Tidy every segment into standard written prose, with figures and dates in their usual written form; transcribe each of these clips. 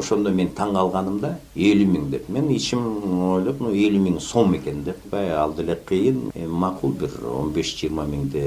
Ошондо мен таң калганым да 50 000 деп. Мен ичим ойлоп, 50 000 сом экен деп. Ал деле кыйын, макул бир 15-20 миңди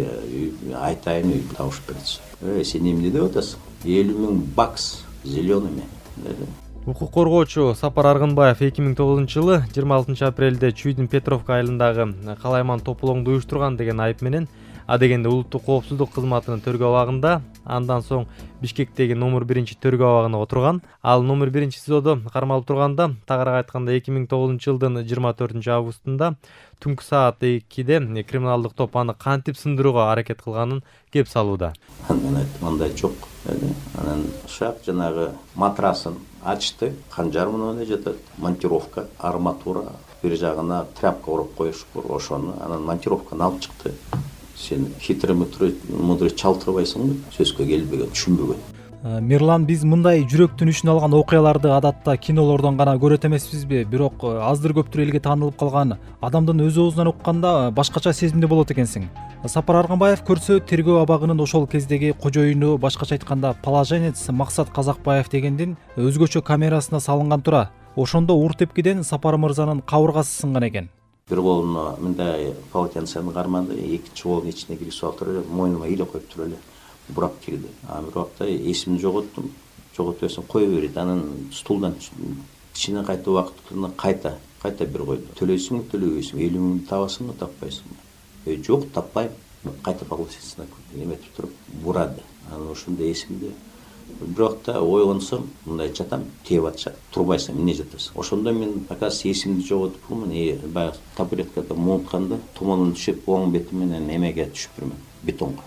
айтайын үй табыш берсе. Сен эмне деп атасың? 50 000 бакс зелеными деди. Укук коргоочу Сапар Аргынбаев 2009-жылы 26 апрелде Чүйдүн Петровка айылындагы калайман тополоңду уюштурган деген айып менен адегенде улуттук коопсуздук кызматынын тергөө абагында, андан соң Бишкектеги номер 1 тергөө абагына отурган. Ал номер 1 СИЗОдо кармалып турганда, тагыраак айтканда 2009-жылдын 24 августунда түнкү саат 2-де криминалдык топ аны кантип сындырууга аракет кылганын кеп салууда. Мен айттым, андай жок деди. Анан шак жанагы матрасын ачты, канжар менен эле жатат, монтировка, арматура, бир жагына тряпка уруп коюшкур, ошону анан монтировканы алып чыкты. Сен хитрый мудрый чалтырбайсың, сөзгө келбеген, түшүнбөгөн. Мирлан, биз мындай жүрөктүн ишин алган окуяларды адатта кинолордон гана көрөт эмеспизби? Бирок аздыр көптүр элге таанылып калган адамдын өз оозунан укканда башкача сезимде болот экенсиң. Сапар Аргынбаев көрсө тергөө абагынын ошол кездеги кожоюну, башкача айтканда положенец Максат Казакбаев дегендин өзгөчө камерасына салынган тура. Ошондо ур тепкиден Сапар мырзанын кабыргасы сынган экен. Бир колуна мындай полотенцени карманды, экинчи колунун ичине киргизип алып туруп эле, мойнума иле коюп туруп эле бурап кирди. Бир убакта эсимди жоготтум. Жоготпосом кое берди. Анан стулдан ичине кайта убактына кайта бир койду. Төлөйсүңбү, төлөбөйсүңбү, 50 000 табасыңбы, таппайсыңбы? Жок, таппайм. Кайта погласительно эметип туруп бурады. Анан ошондо эсимде. Бир убакта ойгонсом, мындай жатам, тээп атышат. Турбайсың, эмне жатасың? Ошондо мен оказывается эсимди жоготупмун. Баягы табуреткада муунтканда туманын түшүп, оң бети менен эмеге түшүптүрмүн, бетонго.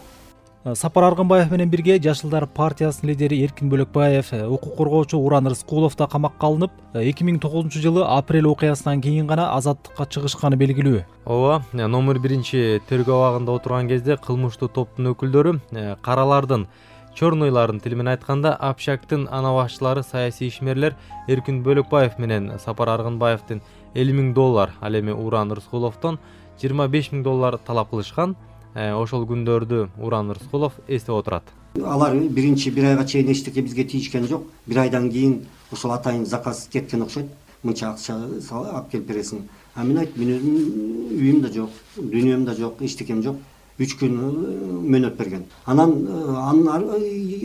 Сапар Аргынбаев менен бирге Жашылдар партиясынын лидери Эркин Бөлөкбаев, укук коргоочу Уран Рыскулов да камакка алынып, 2009-жылы апрель окуясынан кийин гана азаттыкка чыгышканы белгилүү. Ооба, номер 1 тергөө абагында отурган кезде кылмыштуу топтун өкүлдөрү каралардын, чорнойлардын тили менен айтканда Общактын ана башчылары, саясий ишмерлер Эркин Бөлөкбаев менен Сапар Аргынбаевдин $50 000, ал эми Уран Рыскуловдон $25 000 талап кылышкан. Ошол күндөрдү Уран Рыскулов эстеп отурат. Алар биринчи бир айга чейин эчтеке бизге тийишкен жок. Бир айдан кийин ошол атайын заказ кеткен окшойт. Мынча акча алып келип бересиң. Мен айттым, менин үйүм да жок, дүйнөм да жок, эчтекем жок. 3 күн мөөнөт берген. Анын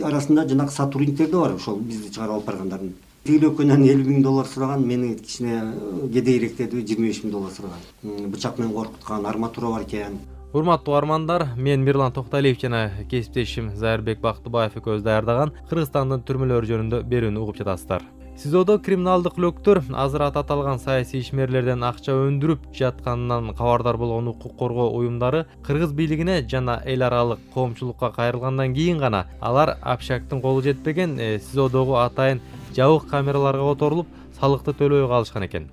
арасында жанагы сотрудниктер да бар, ошол бизди чыгарып алып баргандардын. Тейлөкөнөн $50 000 сураган, мени кичине кедейирээктеди, $25 000 сураган. Бычак менен коркуткан, арматура бар экен. Урматтуу армандар, мен Мирлан Токталиев жана кесиптешим Зайырбек Бактыбаев экөөбүз даярдаган Кыргызстандын түрмөлөрү жөнүндө берүүнү угуп жатасыздар. СИЗОдо криминалдык лөктөр азыр аталган саясий ишмерлерден акча өндүрүп жатканынан кабардар болгон укук коргоо уюмдары кыргыз бийлигине жана эл аралык коомчулукка кайрылгандан кийин гана алар Общактын колу жетпеген СИЗОдогу атайын жабык камераларга которулуп, салыкты төлөбөй калышкан экен.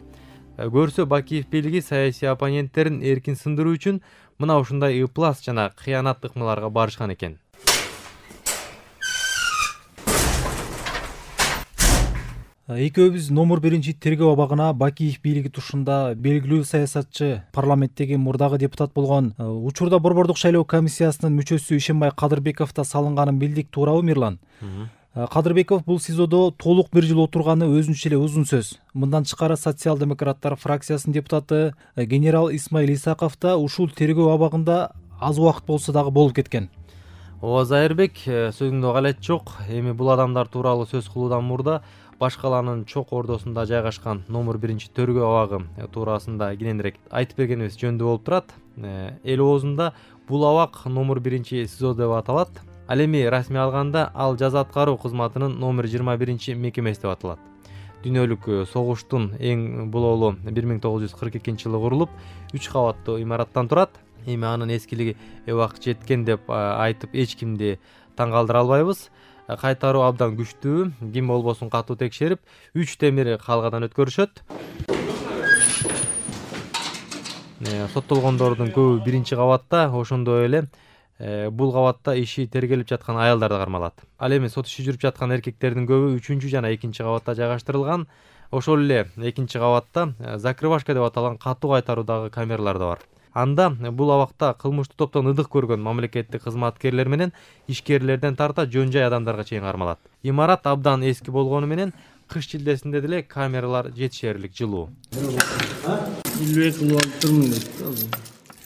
Көрсө Бакиев бийлиги саясий оппоненттерин эркин сындыруу үчүн мына ушундай ыплас жана кыянат ыкмаларга барышкан экен. Экөөбүз номер 1 тергөө абагына Бакиев бийлиги тушунда белгилүү саясатчы, парламенттеги мурдагы депутат болгон, учурда Борбордук шайлоо комиссиясынын мүчөсү Ишенбай Кадырбеков да салынганын билдик, туурабы Мирлан? Кадырбеков бул СИЗОдо толук 1 жыл отурганы өзүнчө эле узун сөз. Мындан тышкары социал-демократтар фракциясынын депутаты генерал Исмаил Исаков да ушул тергөө абагында аз убакыт болсо дагы болуп кеткен. Ооба, Зайырбек, сөзүңдө галет жок. Эми бул адамдар тууралуу сөз кылуудан мурда баш калаанын чок ордосунда жайгашкан номер 1 тергөө абагы туурасында кененирээк айтып бергенибиз жөндүү болуп турат. Эл оозунда бул абак номер 1 СИЗО деп аталат. Ал эми расмий алганда ал жаза аткаруу кызматынын номер 21 мекемеси деп аталат. Дүйнөлүк согуштун эң бололу 1942-жылы курулуп, 3 кабаттуу имараттан турат. Эми анын эскилиги убакыт жеткен деп айтып эч кимди таң калтыра албайбыз. Кайтаруу абдан күчтүү, ким болбосун катуу текшерип, 3 темир калгадан өткөрүшөт. Соттолгондордун көбү 1-кабатта, ошондой эле бул кабатта иши тергелип жаткан аялдар да кармалат. Ал эми сот иши жүрүп жаткан эркектердин көбү 3 жана 2-кабатта жайгаштырылган. Ошол эле 2-кабатта закрывашка деп аталган катуу кайтаруудагы камералар да бар. Анда бул абакта кылмыштуу топтон ыдык көргөн мамлекеттик кызматкерлер менен ишкерлерден тарта жөн жай адамдарга чейин кармалат. Имарат абдан эски болгону менен кыш шилдесинде деле камералар жетишерлик жылуу.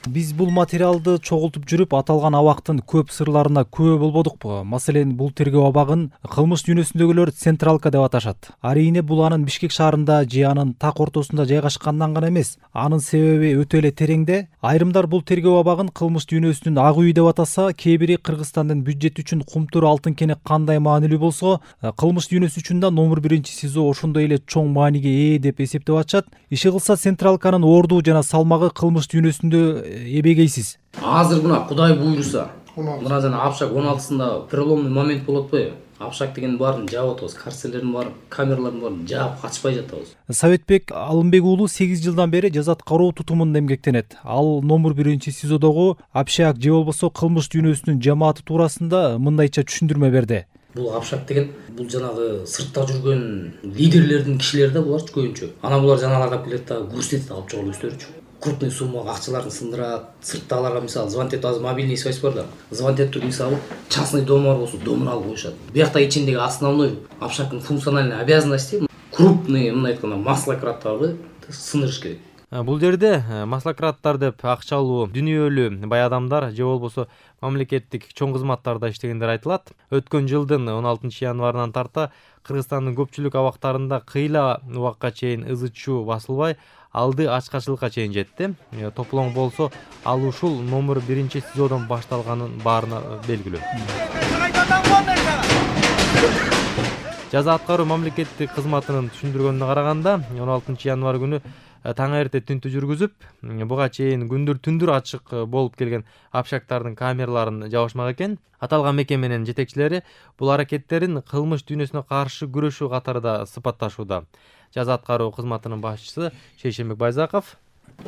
Биз бул материалды чогултуп жүрүп аталган абактын көп сырларына күбө болбодукпу. Маселен, бул тергөө абагын кылмыш дүйнөсүндөгүлөр централка деп аташат. Арийне бул анын Бишкек шаарында же анын так ортосунда жайгашканынан гана эмес, анын себеби өтө эле тереңде. Айрымдар бул тергөө абагын кылмыш дүйнөсүнүн ак үйү деп атаса, кээ бири Кыргызстандын бюджети үчүн кумтур алтын кене кандай маанилүү болсо, кылмыш дүйнөсү үчүн да номер 1 СИЗО ошондой эле чоң мааниге ээ деп эсептеп атышат. Иши кылса централканын ордуу жана салмагы кылмыш дүйнөсүндө эбегейсиз. Азыр мына Кудай буйруса, мына жана Апшак 16-сында переломный момент болот атпайбы? Апшак деген баарын жаап атабыз, карцерлердин баарын, камералардын баарын жаап качпай жатабыз. Советбек Алымбек уулу 8 жылдан бери жаза аткаруу тутумунда эмгектенет. Ал номер 1 СИЗОдогу Апшак же болбосо кылмыш дүйнөсүнүн жамааты туурасында мындайча түшүндүрмө берди. Бул Апшак деген бул жанагы сыртта жүргөн лидерлердин кишилери да булар көбүнчө. Анан булар жанагыларга келет да көрсөтөт, алып чыгып өстөрүчү. Крупный сумма акчаларын сындырат, сырттагыларга мисалы звонить этип, азыр мобильный связь бар да. Звонить этип, мисалы частный дом бар болсо, домун алып коюшат. Биякта ичиндеги основной Апшактын функциональный обязанности крупный, мындай айтканда, маслократтарды сындырыш керек. Бул жерде маслократтар деп акчалуу, дүнүйөлүү бай адамдар же болбосо мамлекеттик чоң кызматтарда иштегендер айтылат. Өткөн жылдын 16 январынан тарта Кыргызстандын көпчүлүк абактарында кыйла убакка чейин ызы-чуу басылбай, алды ачкачылыкка чейин жетти. Топлоң болсо, ал ушул номер 1 СИЗОдон башталганын баарына белгилүү. Жаза аткаруу мамлекеттик кызматынын түшүндүргөнүнө караганда, 16 январ күнү таң эрте түнтү жүргүзүп, буга чейин күндүр-түндүр ачык болуп келген Апшактардын камераларын жабышмак экен. Аталган мекеменин жетекчилери бул аракеттерин кылмыш дүйнөсүнө каршы күрөшүү катарында сыпатташууда. Жаза аткаруу кызматынын башчысы Шейшенбек Байзаков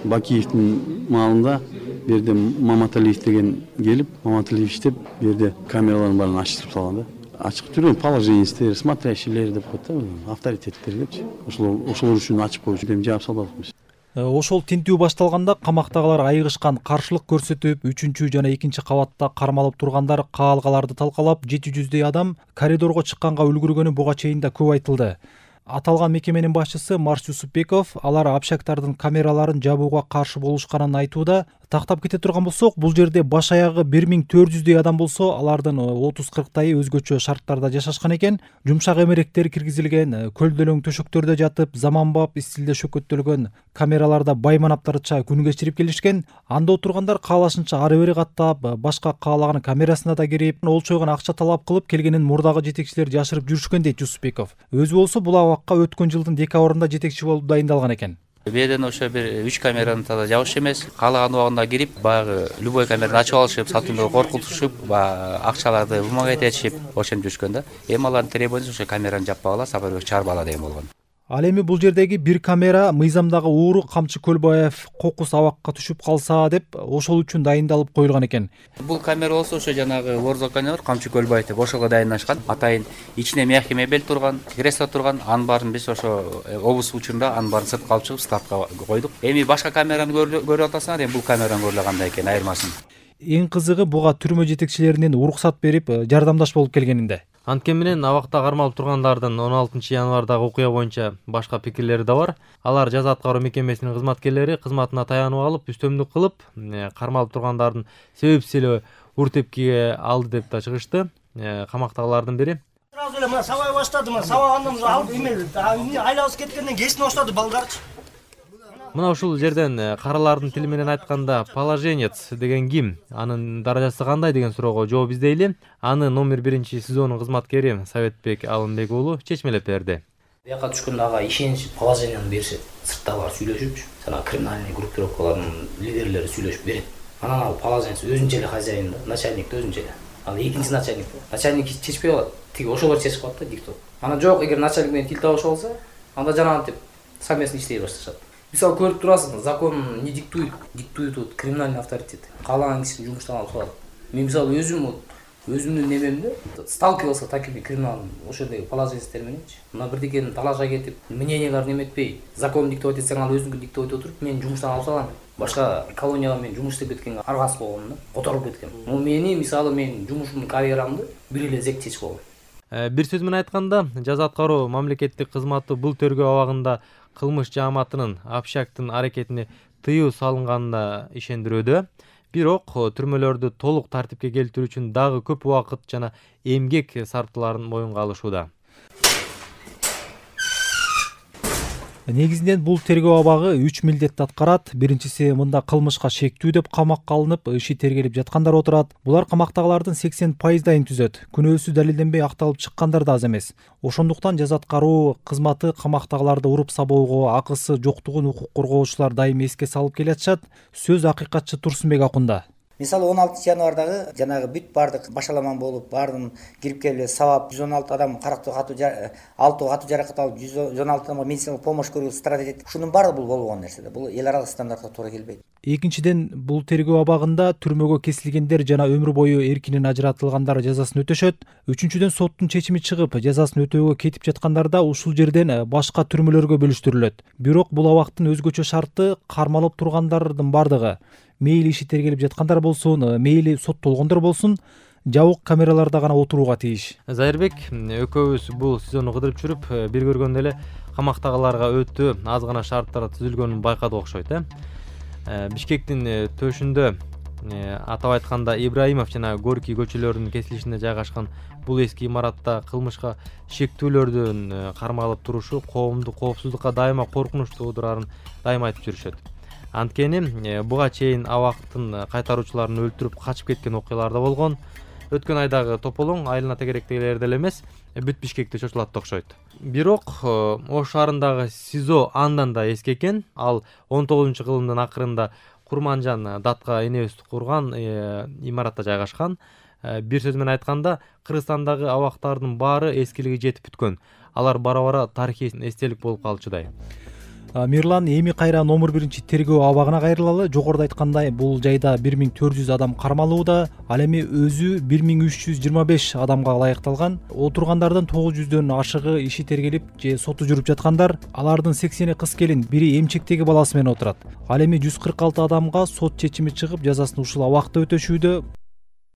Бакиевдин маалында берде Маматалиев деген келип, Маматалиев иштеп, берде камералардын баарын ачтырып салган да. Ачык түрдө положениястер, смотрящийлер деп коет да, авторитеттер депчи. Ошолор үчүн ачып коюшу деп жаап салбадыкпыз. Ошол тинтүү башталганда камактагылар айыгышкан, каршылык көрсөтүп, 3 жана 2 кабатта кармалып тургандар каалгаларды талкалап, 700дөй адам коридорго чыкканга үлгүргөнү буга чейин да көп айтылды. Аталган мекеменин башчысы Марс Юсупбеков алар Апшактардын камераларын жабууга каршы болушканын айтууда. Тактап кете турган болсок, бул жерде баш аягы 1400дөй адам болсо, алардын 30-40тайы өзгөчө шарттарда жашашкан экен. Жумшак эмеректер киргизилген, көлдөлөң төшөктөрдө жатып, заманбап стилде шөкөттөлгөн камераларда байманаптарча күн кечирип келишкен. Анда отургандар каалашынча ары-бери каттап, башка каалаган камерасына да кирип, олчойгон акча талап кылып келгенин мурдагы жетекчилер жашырып жүрүшкөн дейт Юсупбеков. Өзү болсо бул абакка өткөн жылдын декабрында жетекчи болуп дайындалган экен. Беден ошо бир 3 камераны да жабыш эмес, каалаган убагында кирип, баягы любой камераны ачып алышып, сатууну коркутушуп, акчаларды бумага этешип, ошентип жүрүшкөн да. Эми алардын требованиясы ошо камераны жаппагыла, сапарбек чыгарбагыла деген болгон. Ал эми бул жердеги бир камера мыйзамдагы ууру Камчы Көлбаев кокус абакка түшүп калса деп ошол үчүн дайындалып коюлган экен. Бул камера болсо ошо жанагы Ворзаканы бар, Камчы Көлбаев деп ошого дайындашкан. Атайын ичине мягкий мебель турган, кресло турган, анын баарын биз ошо обыс учурунда анын баарын сыртка алып чыгып складка койдук. Эми башка камераны көрүп атасыңар, эми бул камераны көрүлгөн кандай экен айырмасын. Эң кызыгы буга түрмө жетекчилеринин уруксат берип, жардамдаш болуп келгенинде. Анткени менен абакта кармалып тургандардын 16 январдагы окуя боюнча башка пикирлери да бар. Алар жаза аткаруу мекемесинин кызматкерлери кызматына таянып алып, үстөмдүк кылып, кармалып тургандардын себепсиз эле уртепкиге алды деп да чыгышты. Камактагылардын бири сразу эле мына сабай баштады, мына сабагандан алып эме айлабыз кеткенден кесине баштады балдарчы. Мына ушул жерден каралардын тили менен айтканда положенец деген ким, анын даражасы кандай деген суроого жооп издейли. Аны номер 1 СИЗОнун кызматкери Советбек Алымбек уулу чечмелеп берди. Бияка түшкөндө ага ишенич положенияны беришет. Сырттагылар сүйлөшүпчү, жана криминальный группировкалардын лидерлери сүйлөшүп берет. Анан ал положенец өзүнчө эле хозяин да, начальник да өзүнчө эле. Ал экинчи начальник. Начальник чечпей калат. Тиги ошолор чечип калат да диктоп. Анан жок, эгер начальник менен тил табышып алса, анда жанагынтип совместно иштей башташат. Мисалы көрүп турасың, закон не диктует, диктует вот криминальный авторитет. Каалаган кишини жумуштан алып салат. Мен мисалы өзүмдүн немемде сталкивался такими криминалдын ошондой положенецтер мененчи. Мына бирдекени талашка кетип, мненияларын эметпей, закон диктовать этсең ал өзүңдү диктовать отуруп, мен жумуштан алып салам. Башка колонияга мен жумуш иштеп кеткенге аргасыз болгом да, которуп кеткем. Мени мисалы мен жумушумдун карьерамды бир эле зек чечип койгон. Бир сөз менен айтканда, жаза аткаруу мамлекеттик кызматы бул тергөө абагында кылмыш жааматынын общактын аракетине тыюу салынганына ишендирүүдө. Бирок түрмөлөрдү толук тартипке келтирүү үчүн дагы көп убакыт жана эмгек сарптыларын моюнга алышууда. Негизинен бул тергөө абагы 3 милдетти аткарат. Биринчиси, мында кылмышка шектүү деп камакка алынып, иши тергелип жаткандар отурат. Булар камактагылардын 80%-ын түзөт. Күнөөсү далилденбей акталып чыккандар да аз эмес. Ошондуктан жаза аткаруу кызматы камактагыларды уруп сабоого, акысы жоктугун укук коргоочулар дайым эске салып келатышат. Сөз акыйкатчы Турсунбек Акунда. Мисалы 16 январдагы жанагы бүт бардык башаламан болуп, баардын кирип келип сабап 116 адам карактуу катуу 6 катуу жаракат алып 116 адамга медициналык помощь көрүү стратегия. Ушунун баары бул болгон нерсе. Бул эл аралык стандартка туура келбейт. Экинчиден, бул тергөө абагында түрмөгө кесилгендер жана өмүр бою эркинен ажыратылгандар жазасын өтөшөт. Үчүнчүдөн, соттун чечими чыгып, жазасын өтөөгө кетип жаткандар да ушул жерден башка түрмөлөргө бөлүштүрүлөт. Бирок бул абактын өзгөчө шарты кармалып тургандардын бардыгы, мейли иши тергелип жаткандар болсун, мейли соттолгондор болсун, жабык камераларда гана отурууга тийиш. Зайырбек, экөөбүз бул сезонду кыдырып жүрүп, бир көргөндө эле камактагыларга өтө аз гана шарттар түзүлгөнүн байкадык окшойт. Бишкектин төшүндө, атап айтканда Ибраимов жана Горький көчөлөрүнүн кесилишинде жайгашкан бул эски имаратта кылмышка шектүүлөрдүн кармалып турушу коомдук коопсуздукка дайыма коркунуч туудурарын дайыма айтып жүрүшөт. Анткени буга чейин абактын кайтаруучуларын өлтүрүп качып кеткен окуялар да болгон. Өткөн айдагы тополоң айылына тегеректегилер деле эмес, бүт Бишкекте чочулат да окшойт. Бирок Ош шаарындагы СИЗО андан да эски экен. Ал 19-кылымдын акырында Курманжан Датка энебиз курган имаратта жайгашкан. Бир сөз менен айтканда, Кыргызстандагы абактардын баары эскилиги жетип бүткөн. Алар бара-бара тарыхый эстелик болуп калчудай. Мирлан, эми кайра номер 1 тергөө абагына кайрылалы. Жогоруда айткандай, бул жайда 1400 адам кармалууда, ал эми өзү 1325 адамга ылайыкталган. Отургандардын 900дөн ашыгы иши тергелип же соту жүрүп жаткандар. Алардын 80-и кыз келин, бири эмчектеги баласы менен отурат. Ал эми 146 адамга сот чечими чыгып, жазасын ушул абакта өтөшүүдө.